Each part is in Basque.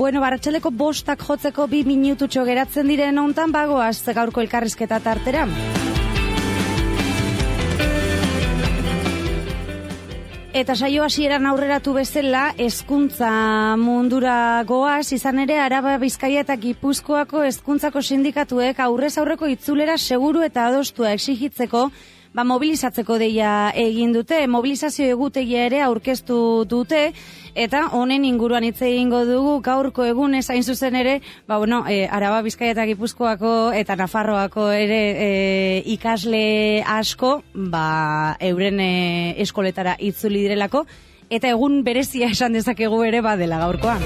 Bueno, arratsaldeko 5 jotzeko 2 minututxo geratzen diren hontan bagoaz gaurko elkarrizketa tartera. Eta saio hasieran aurreratu bezala, hezkuntza mundura goaz, izan ere Araba, Bizkaia eta Gipuzkoako hezkuntzako sindikatuek aurrez aurreko itzulera seguru eta adostua exigitzeko, mobilizatzeko deia egin dute, mobilizazio egutegia ere aurkeztu dute, eta honen inguruan hitz egingo dugu gaurko egunez hain zuzen ere, Araba, Bizkaia eta Gipuzkoako eta Nafarroako ere ikasle asko, euren eskoletara itzuli direlako, eta egun berezia esan dezakegu ere badela gaurkoa.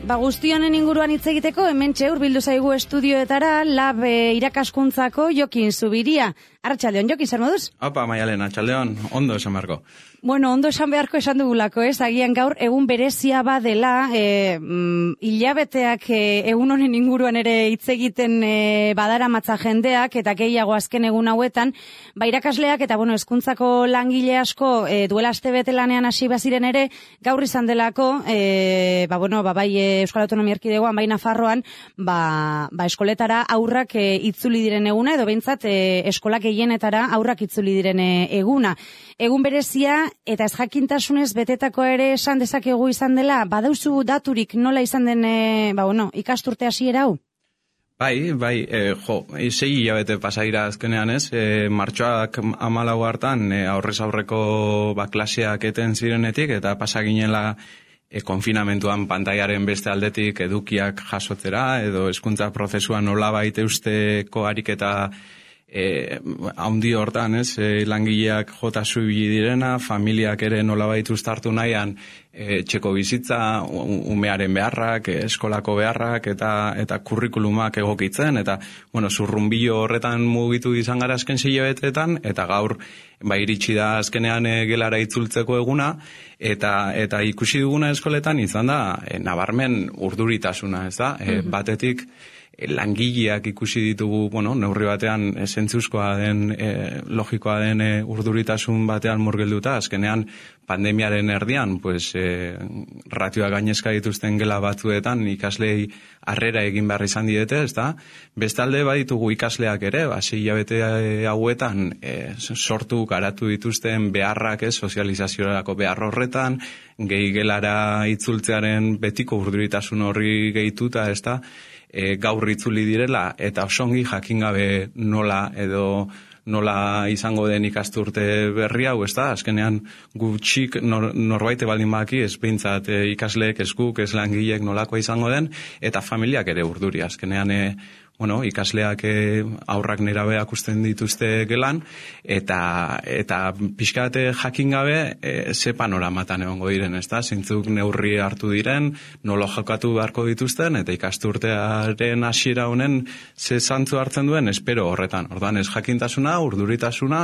Guzti honen inguruan hitz egiteko, hementxe hurbildu zaigu estudioetara Lab irakaskuntzako Jokin Zubiria. Arratsaldeon, Jokin, zer moduz? Opa, Maialen, arratsaldeon, ondo esan beharko. Bueno, ondo esan beharko esan dugulako, agian gaur egun berezia badela, hilabeteak egun honen inguruan ere hitz egiten badara matza jendeak, eta gehiago azken egun hauetan, irakasleak eta hezkuntzako langile asko duela astebete lanean hasi baziren ere, gaur izan delako, bai Euskal Autonomia Erkidegoan, bai Nafarroan, eskoletara aurrak itzuli diren eguna, edo behintzat eskolak gehienetara aurrak itzuli diren eguna. Egun berezia eta ez jakintasunez betetako ere esan dezakegu izan dela, badauzu daturik nola izan den ikasturte hasiera hau? Bai, 6 hilabete pasaira azkenean ez, martxoak 14 hartan aurrez aurreko klaseak eten zirenetik eta pasaginela konfinamentuan pantaiaren beste aldetik edukiak jasotzera edo hezkuntza prozesua nolabait eusteko ariketa haundi hortan, langileak jota zuibili direna, familiak ere nolabait uztartu nahian txeko bizitza, umearen beharrak, eskolako beharrak eta kurrikulumak egokitzen, eta zurrunbilo horretan mugitu izan gara azken 6 hilabeteetan, eta gaur iritsi da azkenean gelara itzultzeko eguna, eta ikusi duguna eskoletan izan da nabarmen urduritasuna, ez da? Batetik langileak ikusi ditugu, neurri batean zentzuzkoa den, logikoa den urduritasun batean murgilduta, azkenean pandemiaren erdian, ratioa gainezka dituzten gela batzuetan ikaslei harrera egin behar izan diete, ez da? Bestalde baditugu ikasleak ere, 6 hilabete hauetan sortu garatu dituzten beharrak, sozializaziorako behar horretan, gehi gelara itzultzearen betiko urduritasun horri gehituta, ez da? Gaur itzuli direla eta osongi jakin gabe nola izango den ikasturte berri hau, ez da? Azkenean gutxik norbaite baldin baki ez behintzat ikasleek, ez guk, ez langileek nolakoa izango den, eta familiak ere urduri. Azkenean ikasleak aurrak nerabeak usten dituzte gelan, eta pixkate jakin gabe ze panoramatan egongo diren, ez da? Zintzuk neurri hartu diren, nola jokatu beharko dituzten, eta ikasturtearen hasiera honen ze zantzu hartzen duen, espero horretan. Orduan ez jakintasuna, urduritasuna,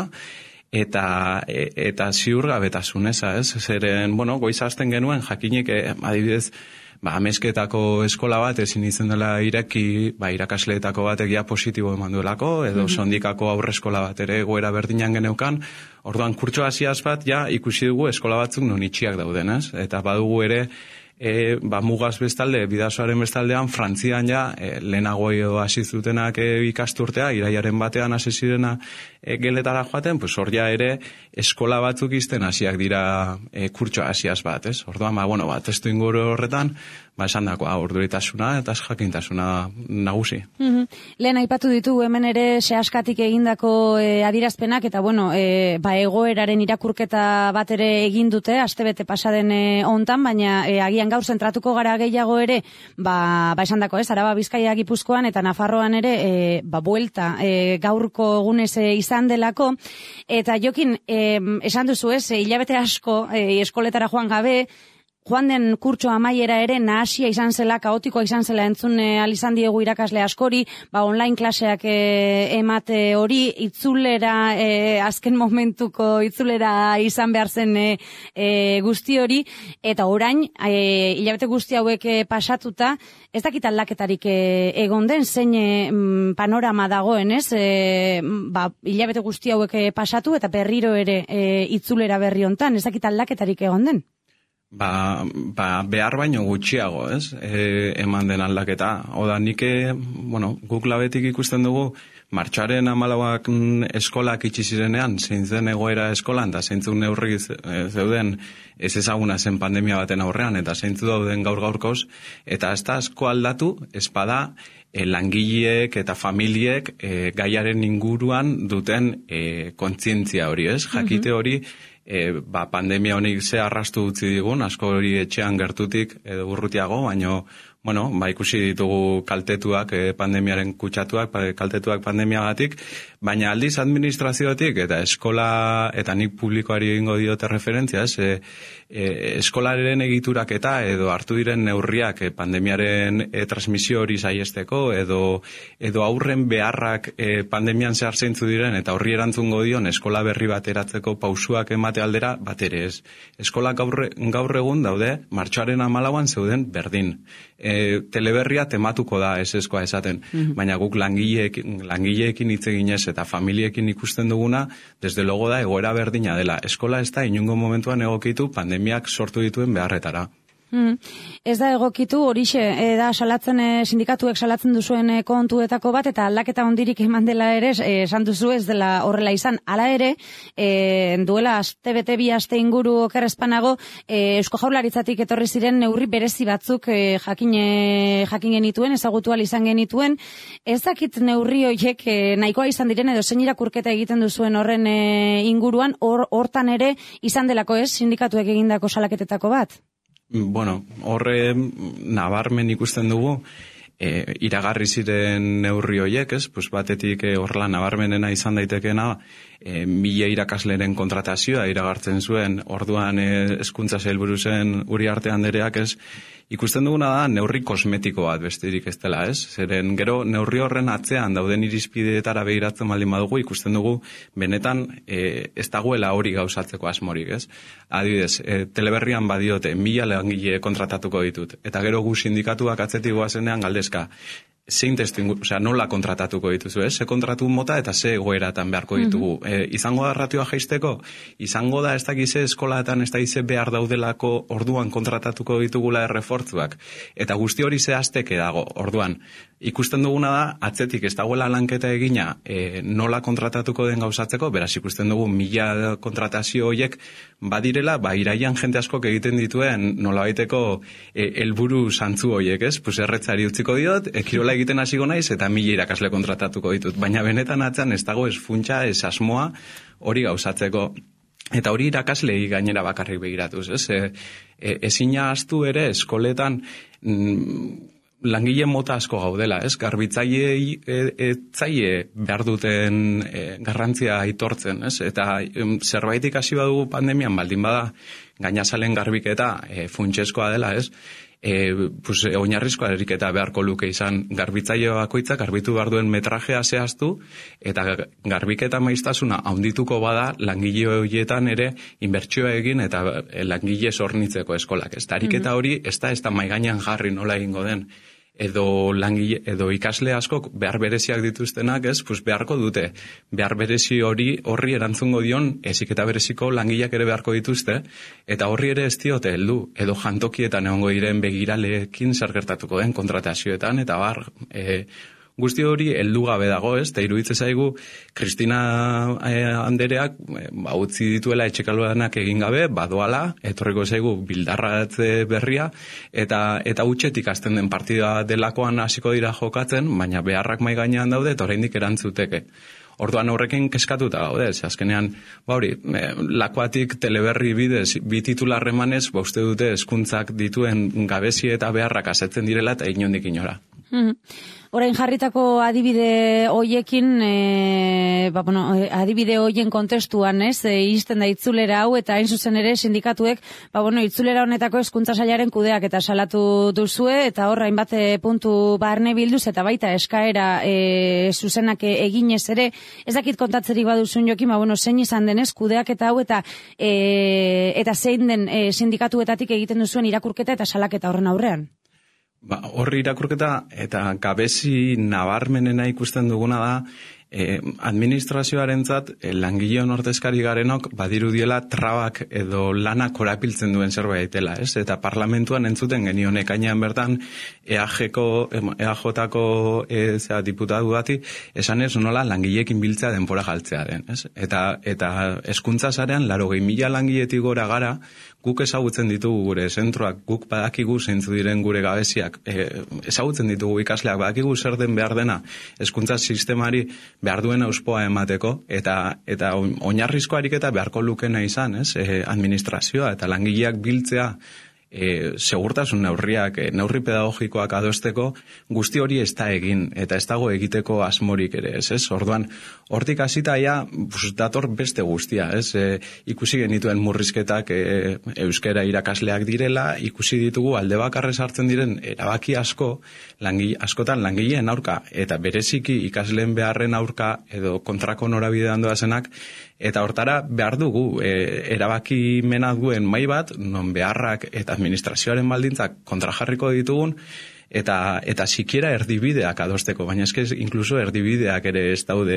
eta ziurgabetasuna, ez? Zeren, goiza hasten genuen jakinik, adibidez, amezketako eskola bat ezin izan dela ireki, irakasleetako batek ja positibo eman duelako, edo sondikako aurreskola bat ere goera berdinan geneukan, orduan kurtso hasiaz bat ikusi dugu eskola batzuk non itxiak dauden, ez? Eta badugu ere mugaz bestalde, bidasoaren bestaldean, Frantzian lehenago edo hasi zutenak ikasturtea, iraiaren batean hasi zirena geletara joaten, hor ere eskola batzuk izten hasiak dira kurtso hasiaz bat, ez? Orduan, testu inguru horretan, esan dakoa, urduritasuna eta jakintasuna nagusi. Lehen aipatu ditugu hemen ere sehaskatik egindako adierazpenak, eta egoeraren irakurketa bat ere egin dute, astebete pasaden hontan, baina agian gaur zentratuko gara gehiago ere, esan dako, Araba, Bizkaia, Gipuzkoan eta Nafarroan ere, buelta gaurko egunez izan delako, eta Jokin, esan duzu hilabete asko eskoletara joan gabe, joan den kurtso amaiera ere nahasia izan zela, kaotikoa izan zela entzun izan diegu irakasle askori, online klaseak emate hori, itzulera, azken momentuko itzulera izan behar zen guzti hori, eta orain, hilabete guzti hauek pasatuta, ez dakit aldaketarik egon den, zein panorama dagoen, ez? Hilabete guzti hauek pasatu eta berriro ere itzulera berri hontan, ez dakit aldaketarik egon den? Behar baino gutxiago, ez? Eman den aldaketa. Oda, guk labetik ikusten dugu, martxoaren 14ak eskolak itxi zirenean, zein zen egoera eskolan, eta zeintzuk neurri zeuden ez ezaguna zen pandemia baten aurrean, eta zeintzu dauden gaur-gaurkoz, eta ez da asko aldatu, espada, langileek eta familiek gaiaren inguruan duten kontzientzia hori, ez? Jakite hori, pandemia honik ze arrastu utzi digun, asko hori etxean gertutik edo urrutiago, baino, ikusi ditugu kaltetuak, pandemiaren kutsatuak, kaltetuak pandemiagatik, baina aldiz administraziotik eta eskola, eta nik publikoari egingo diote referentzia, eskolaren egiturak eta edo hartu diren neurriak pandemiaren transmisio hori saiesteko, edo aurren beharrak pandemian zehar zeintzu diren, eta horri erantzungo dion eskola berri bat eratzeko pausuak emate aldera, bat ere ez. Eskola gaur egun daude, martxoaren 14an zeuden berdin. Teleberria tematuko da eseskoa esaten, baina guk langileekin hitz eginez eta familiekin ikusten duguna, desde logo da egoera berdina dela. Eskola ez da inungo momentuan egokitu pandemiak sortu dituen beharretara. Ez da egokitu, horixe, da salatzen, sindikatuek salatzen duzuen kontuetako bat, eta aldaketa hondirik eman dela ere, esan duzu ez dela horrela izan. Hala ere, duela aste-bete bi aste inguru okerrezpanago, Eusko Jaurlaritzatik etorri ziren neurri berezi batzuk jakin genituen, ezagutu ahal izan genituen. Ez dakit neurri horiek nahikoa izan diren, edo zein irakurketa egiten duzuen horren inguruan, hortan ere izan delako ez, sindikatuek egindako salaketetako bat? Horre nabarmen ikusten dugu, iragarri ziren neurri horiek, ez? Batetik horrela nabarmenena izan daitekena, 1000 irakasleren kontratazioa iragartzen zuen, orduan hezkuntza sailburu zen Uriarte Andereak, ez? Ikusten duguna da neurri kosmetiko bat besterik ez dela, ez? Zeren gero neurri horren atzean dauden irizpideetara begiratzen baldin badugu, ikusten dugu benetan ez dagoela hori gauzatzeko asmorik, ez? Adibidez, Teleberrian badiote 1000 langile kontratatuko ditut, eta gero gu sindikatuak atzetik goazenean galdezka, zein nola kontratatuko dituzu, ez? Ze kontratu mota eta ze egoeratan beharko ditugu. Izango da ratioa jaisteko? Izango da ez dakize eskolaetan ez dakize behar daudelako orduan kontratatuko ditugula errefortzuak. Eta guzti hori zehazteke dago, orduan. Ikusten duguna da, atzetik ez dagoela lanketa egina nola kontratatuko den gauzatzeko, beraz ikusten dugu 1000 kontratazio horiek badirela, iraian jente askok egiten dituen nolabaiteko helburu zantzu horiek, ez? Erretzari utziko diot, kirola egiten hasiko naiz eta 1000 irakasle kontratatuko ditut, baina benetan atzean ez dago ez funtsa, ez asmoa hori gauzatzeko. Eta hori irakaslei gainera bakarrik begiratuz, ez? Ezina ahaztu ere eskoletan langile mota asko gaudela, ez? Garbitzailei etzaile behar duten garrantzia aitortzen, ez? Eta zerbait ikasi badugu pandemian baldin bada gainazalen garbiketa funtsezkoa dela, ez? Oinarrizko ariketa beharko luke izan garbitzaile bakoitzak garbitu behar duen metrajea zehaztu, eta garbiketa maiztasuna handituko bada langile horietan ere inbertsioa egin eta langile zornitzeko eskolak. Ez ariketa hori ez da maigainan jarri nola egingo den. Edo ikasle askok behar bereziak dituztenak, ez, beharko dute. Behar berezi horri erantzungo dion, eziketa bereziko langileak ere beharko dituzte, eta horri ere ez diote heldu, edo jantokietan egongo diren begiraleekin zer gertatuko den kontratazioetan, eta guzti hori heldu gabe dago, ez, eta iruditzen zaigu Kristina Andereak utzi dituela etxekaluanak egin gabe, badoala, etorriko zaigu bildarratze berria, eta utxetik hasten den partida delakoan hasiko dira jokatzen, baina beharrak mai gainean daude, eta oraindik erantzuteke. Orduan horrekin keskatuta gaude, azkenean, lakoatik Teleberri bidez, bi titular emanez, uste dute hezkuntzak dituen gabezi eta beharrak asetzen direla eta inondik inora. Orain jarritako adibide hoiekin, adibide hoien kontestuan, izten da itzulera hau, eta hain zuzen ere sindikatuek, itzulera honetako hezkuntza sailaren kudeak eta salatu duzue, eta hor hainbat puntu barne bilduz, eta baita eskaera zuzenak eginez ere, ez dakit kontatzerik baduzun Jokin, zein izan denez kudeak eta hau, eta zein den sindikatuetatik egiten duzuen irakurketa eta salaketa horren aurrean? Horri irakurketa eta gabezi nabarmenena ikusten duguna da, administrazioarentzat langileon ordezkari garenok badirudiela trabak edo lanak korapiltzen duen zerbait daitela, ez? Eta parlamentuan entzuten genion ekainean bertan EAJ-ko diputatu bati esanez nola langileekin biltzea denbora galtzearen, ez? Eta hezkuntza sarean 80.000 langiletik gora gara, guk ezagutzen ditugu gure zentroak, guk badakigu zeintzu diren gure gabeziak, ezagutzen ditugu ikasleak, badakigu zer den behar dena hezkuntza sistemari behar duen auspoa emateko, eta oinarrizko ariketa beharko lukena izan, ez? Administrazioa eta langileak biltzea, segurtasun neurri pedagogikoak adosteko, guzti hori ez da egin, eta ez dago egiteko asmorik ere, ez? Orduan, hortik hasita dator beste guztia, ez? Ikusi genituen murrizketak euskara irakasleak direla, ikusi ditugu alde bakarrez hartzen diren erabaki askotan langileen aurka, eta bereziki ikasleen beharren aurka edo kontrako norabidean doazenak, eta hortara behar dugu erabaki mena duen mai bat, non beharrak eta administrazioaren baldintzak kontrajarriko ditugun, eta sikiera erdibideak adosteko, baina eske inkluso erdibideak ere ez daude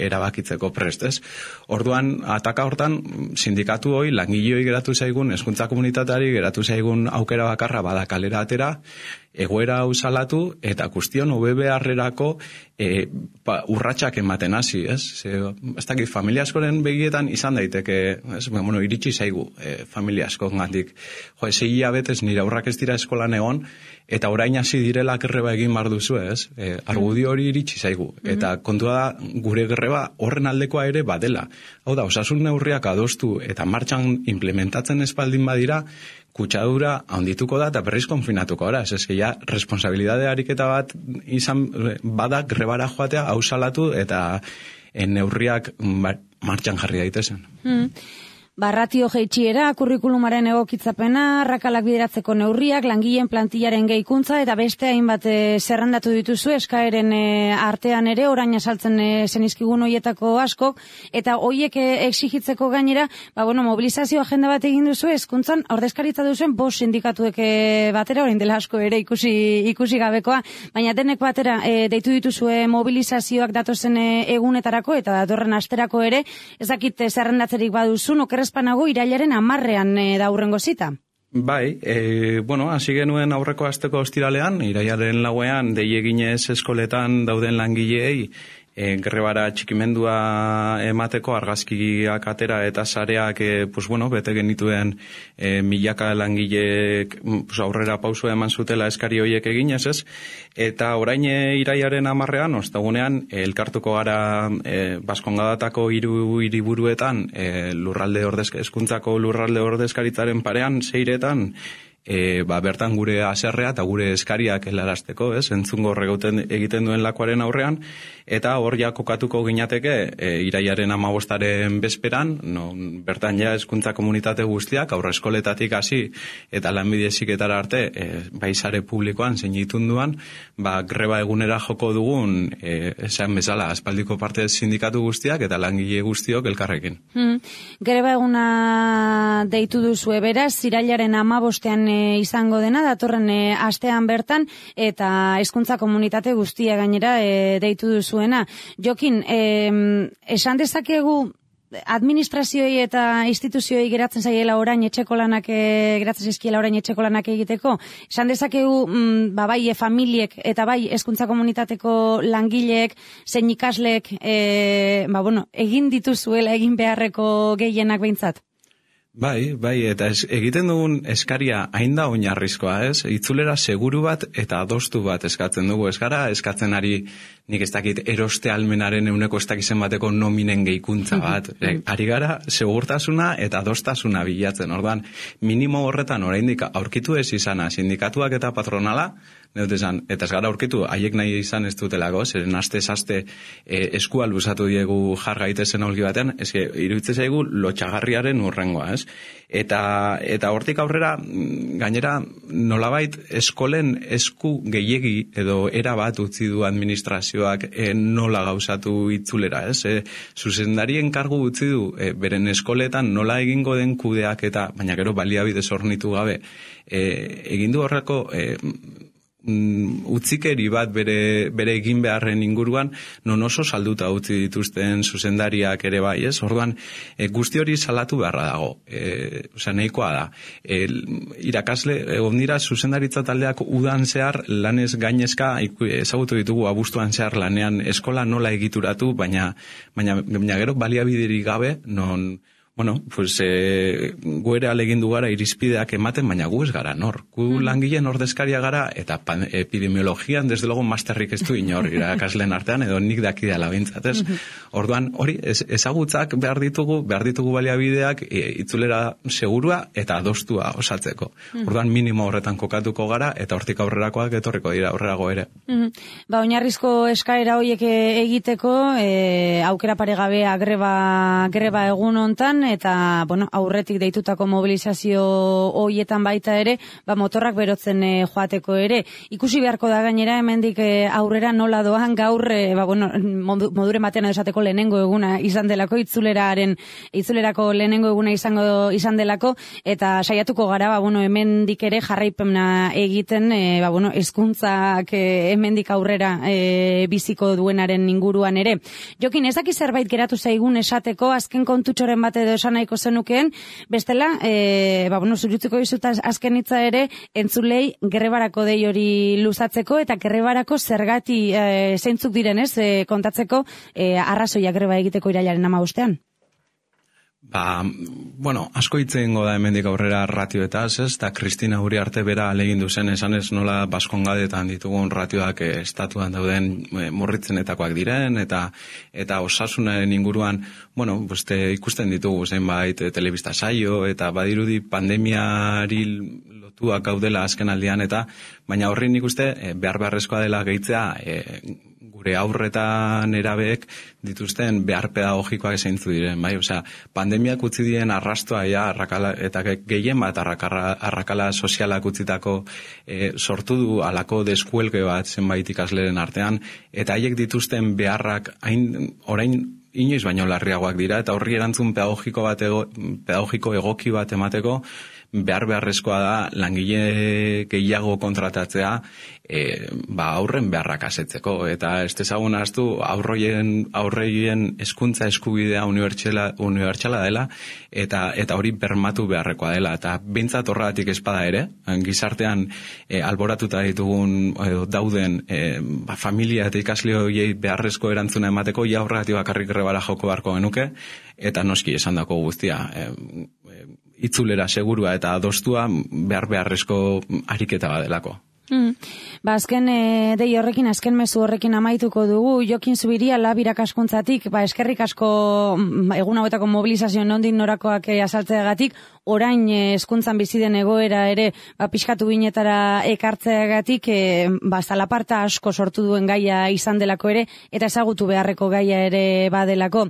erabakitzeko prest, ez? Orduan, ataka hortan, sindikatu hoi, langileoi geratu zaigun, hezkuntza komunitateari geratu zaigun aukera bakarra bada kalera atera, egoera hau salatu, eta guztion OBB-arrerako urratsak ematen hasi, ez? Ez dakit, familia askoren begietan izan daiteke, ez? Iritsi zaigu familia askongatik. 6 hilabetez nire aurrak ez dira eskolan egon, eta orain hasi direla greba egin behar duzu, ez? Argudio hori iritsi zaigu. Eta kontua da, gure greba horren aldekoa ere badela. Hau da, osasun neurriak adostu eta martxan implementatzen espaldin badira, kutsadura handituko da eta berriz konfinatuko da. Ez ja, responsabilidade ariketa bat izan bada grebara joatea, hau salatu eta neurriak martxan jarri daitezen. Ratio jeitsiera, kurrikulumaren egokitzapena, arrakalak bideratzeko neurriak, langileen plantillaren gehikuntza eta beste hainbat zerrendatu dituzu eskaeren artean ere, orain asaltzen zenizkigun hoietako asko, eta hoiek exigitzeko gainera, mobilizazio agenda bat egin duzu, hezkuntzan ordezkaritza duzuen 5 sindikatuek batera, orain dela asko ere ikusi gabekoa, baina denek batera deitu dituzue mobilizazioak datozen egunetarako eta datorren asterako ere, ezakit zerrendatzerik baduzun, Espanago irailaren 10ean da hurrengo zita. Bai, hasi genuen aurreko asteko ostiralean, irailaren 4ean dei eginez eskoletan dauden langileei grebara txikimendua emateko argazkiak atera eta sareak bete genituen milaka langileek aurrera pausua eman zutela eskari hoiek eginez, ez? Eta orain irailaren 10ean, ostegunean, elkartuko gara Baskongadatako 3 hiriburuetan hezkuntzako lurralde ordezkaritzaren parean, Seiretan, bertan gure haserrea eta gure eskariak helarazteko, ez? Entzungo egiten duen lakoaren aurrean, eta hor ja kokatuko ginateke irailaren 15aren bezperan, bertan ja hezkuntza komunitate guztiak, aurreskoletatik hasi eta lanbide heziketara arte, bai sare publikoan zein itunduan, greba egunera joko dugun, esan bezala, aspaldiko parte sindikatu guztiak eta langile guztiok elkarrekin. Greba eguna deitu duzue beraz, irailaren 15ean izango dena, datorren astean bertan, eta hezkuntza komunitate guztia gainera deitu duzuena. Jokin, esan dezakegu administrazioei eta instituzioei geratzen zaiela orain etxeko lanak egiteko, esan dezakegu bai familiek eta bai hezkuntza komunitateko langileek zein ikasleek egin dituzuela egin beharreko gehienak behintzat? Bai, eta egiten dugun eskaria hain da oinarrizkoa, ez? Itzulera seguru bat eta adostu bat eskatzen dugu. Ez gara eskatzen ari, nik ez dakit, eroste almenaren euneko ez dakizen bateko nominen gehikuntza bat. Ari gara segurtasuna eta adostasuna bilatzen. Orduan, minimo horretan oraindik aurkitu ez izana, sindikatuak eta patronala, eta ez gara aurkitu, haiek nahi izan ez dutelako, zeren aste eskua luzatu diegu jar gaitezen olgi batean, iruditzen zaigu lotxagarriaren urrengoa, ez? Eta hortik aurrera, gainera, nolabait eskolen esku gehiegi edo era bat utzi du administrazioak nola gauzatu itzulera, ez? Zuzendarien kargu utzi du, beren eskoletan nola egingo den kudeak eta, baina gero baliabide zornitu gabe, egin du horreko utzikeri bat bere egin beharren inguruan, non oso salduta utzi dituzten zuzendariak ere bai, ez? Orduan, guzti hori salatu beharra dago. Nahikoa da. Irakasle, egon dira zuzendaritza taldeak udan zehar, lanez gainezka, ezagutu ditugu abuztuan zehar lanean eskola nola egituratu, baina gero baliabiderik gabe, non... gu ere alegindu gara irizpideak ematen, baina gu ez gara nor. Gu langileen ordezkaria gara, eta epidemiologian, desde logo, masterrik ez du inor irakasleen artean, edo nik dakidala bintzat, ez? Orduan, hori, ezagutzak behar ditugu baliabideak itzulera segurua eta adostua osatzeko. Orduan, minimo horretan kokatuko gara, eta hortik aurrerakoak etorriko dira aurrerago ere. Oinarrizko eskaera horiek egiteko, aukera paregabea greba egun hontan, eta, aurretik deitutako mobilizazio hoietan baita ere, motorrak berotzen joateko ere. Ikusi beharko da gainera, hemendik aurrera nola doan gaur, modure batean esateko lehenengo eguna izan delako, itzulerako lehenengo eguna izan delako, eta saiatuko gara, hemendik ere jarraipena egiten, hezkuntzak hemendik aurrera biziko duenaren inguruan ere. Jokin, ezaki zerbait geratu zaigun esateko, azken kontutxoren bat edo esan nahiko zenukeen, bestela, zurutziko dizuta azken hitza ere, entzulei grebarako dei hori luzatzeko, eta grebarako zergati zeintzuk direnez, kontatzeko arrazoia greba egiteko irailaren 15ean. Asko hitzen da hemendik aurrera ratioetaz, ez? Eta Kristina Uriarte bera alegindu zen, esan ez nola Baskongadetan ditugun ratioak estatuan dauden murritzenetakoak diren, eta osasunaren inguruan, ikusten ditugu zenbait telebista saio, eta badirudi pandemiari lotuak gaudela azken aldian, eta baina horri nik uste beharrezkoa dela gehitzea gure aurretan erabeek dituzten behar pedagogikoak zeintzu diren, bai? Pandemiak utzi dien arrastoa eta gehien bat arrakala sozialak utzitako sortu du alako deskuelge bat zenbait ikasleren artean, eta haiek dituzten beharrak orain inoiz baino larriagoak dira, eta horri erantzun pedagogiko egoki bat emateko beharrezkoa da langile gehiago kontratatzea aurren beharrak asetzeko, eta ez dezagun ahaztu aurreien hezkuntza eskubidea unibertsala dela, eta hori bermatu beharrekoa dela, eta behintzat horregatik espada ere, gizartean alboratuta ditugun dauden familia eta ikasle horiei beharrezko erantzuna emateko, horregatik bakarrik grebara joko beharko genuke, eta noski esandako guztia itzulera segurua eta adostua beharrezko ariketa badelako. Azken dei horrekin, azken mezu horrekin amaituko dugu. Jokin Zubiria, Lab irakaskuntzatik, eskerrik asko egun hauetako mobilizazio nondik norakoak azaltzeagatik, orain hezkuntzan bizi den egoera ere pixkatu binetara ekartzeagatik, zalaparta asko sortu duen gaia izan delako ere, eta ezagutu beharreko gaia ere badelako.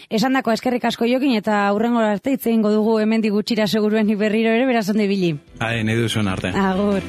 Esandako eskerrik asko Jokin, eta hurrengo arte hitz egingo dugu hemendik gutxira seguruenik berriro ere, beraz ondo ibili. Nahi duzuen arte. Agur.